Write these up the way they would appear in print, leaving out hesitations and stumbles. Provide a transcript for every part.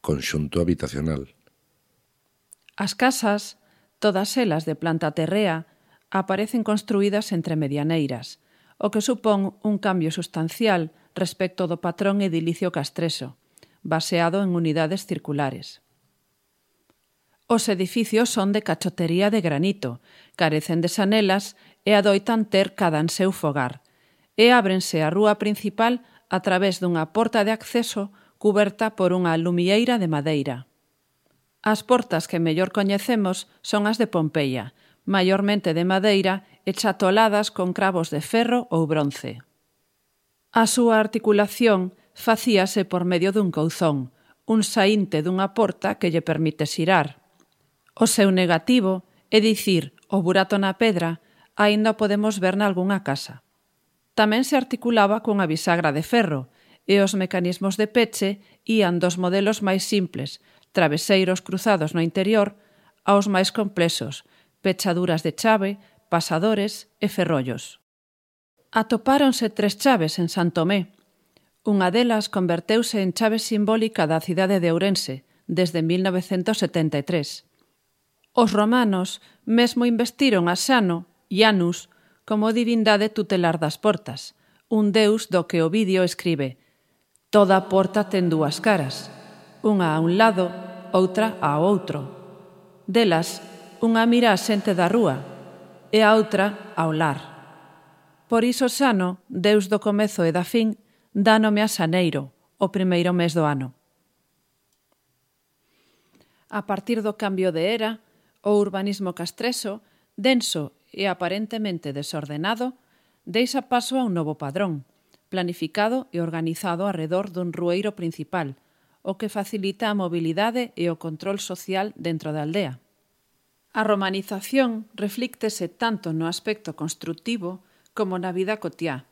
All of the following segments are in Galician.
conxunto habitacional. As casas, todas elas de planta terrea, aparecen construídas entre medianeiras, o que supón un cambio sustancial respecto do patrón edilicio castreso, baseado en unidades circulares. Os edificios son de cachotería de granito, carecen de sanelas e adoitan ter cada en seu fogar, e ábrense a rúa principal a través dunha porta de acceso cuberta por unha lumieira de madeira. As portas que mellor coñecemos son as de Pompeia, maiormente de madeira e chatoladas con cravos de ferro ou bronce. A súa articulación facíase por medio dun couzón, un saínte dunha porta que lle permite xirar. O seu negativo, é dicir, o burato na pedra, aínda podemos ver nalgunha casa. Tamén se articulaba cunha bisagra de ferro, e os mecanismos de peche ían dos modelos máis simples, traveseiros cruzados no interior, aos máis complexos, pechaduras de chave, pasadores e ferrollos. Atopáronse 3 chaves en San Tomé. Unha delas converteuse en chave simbólica da cidade de Ourense desde 1973. Os romanos mesmo investiron a Xano, Janus, como divindade tutelar das portas, un deus do que Ovidio escribe: «Toda porta ten 2 caras, unha a un lado, outra ao outro. Delas, unha mira a xente da rúa e a outra ao lar». Por iso Xano, deus do comezo e da fin, dá nome a xaneiro, o primeiro mes do ano. A partir do cambio de era, o urbanismo castreso, denso e aparentemente desordenado, deixa paso a un novo padrón, planificado e organizado arredor dun rueiro principal, o que facilita a mobilidade e o control social dentro da aldea. A romanización reflíctese tanto no aspecto construtivo como na vida cotiá,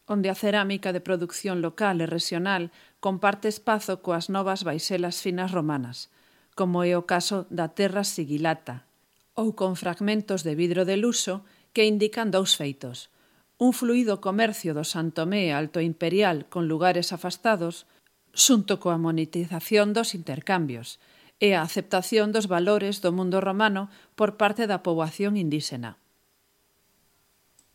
onde a cerámica de produción local e regional comparte espazo coas novas baixelas finas romanas, como é o caso da terra sigilata, ou con fragmentos de vidro de luxo que indican 2 feitos: un fluido comercio do San Tomé alto imperial con lugares afastados, xunto coa monetización dos intercambios, e a aceptación dos valores do mundo romano por parte da poboación indíxena.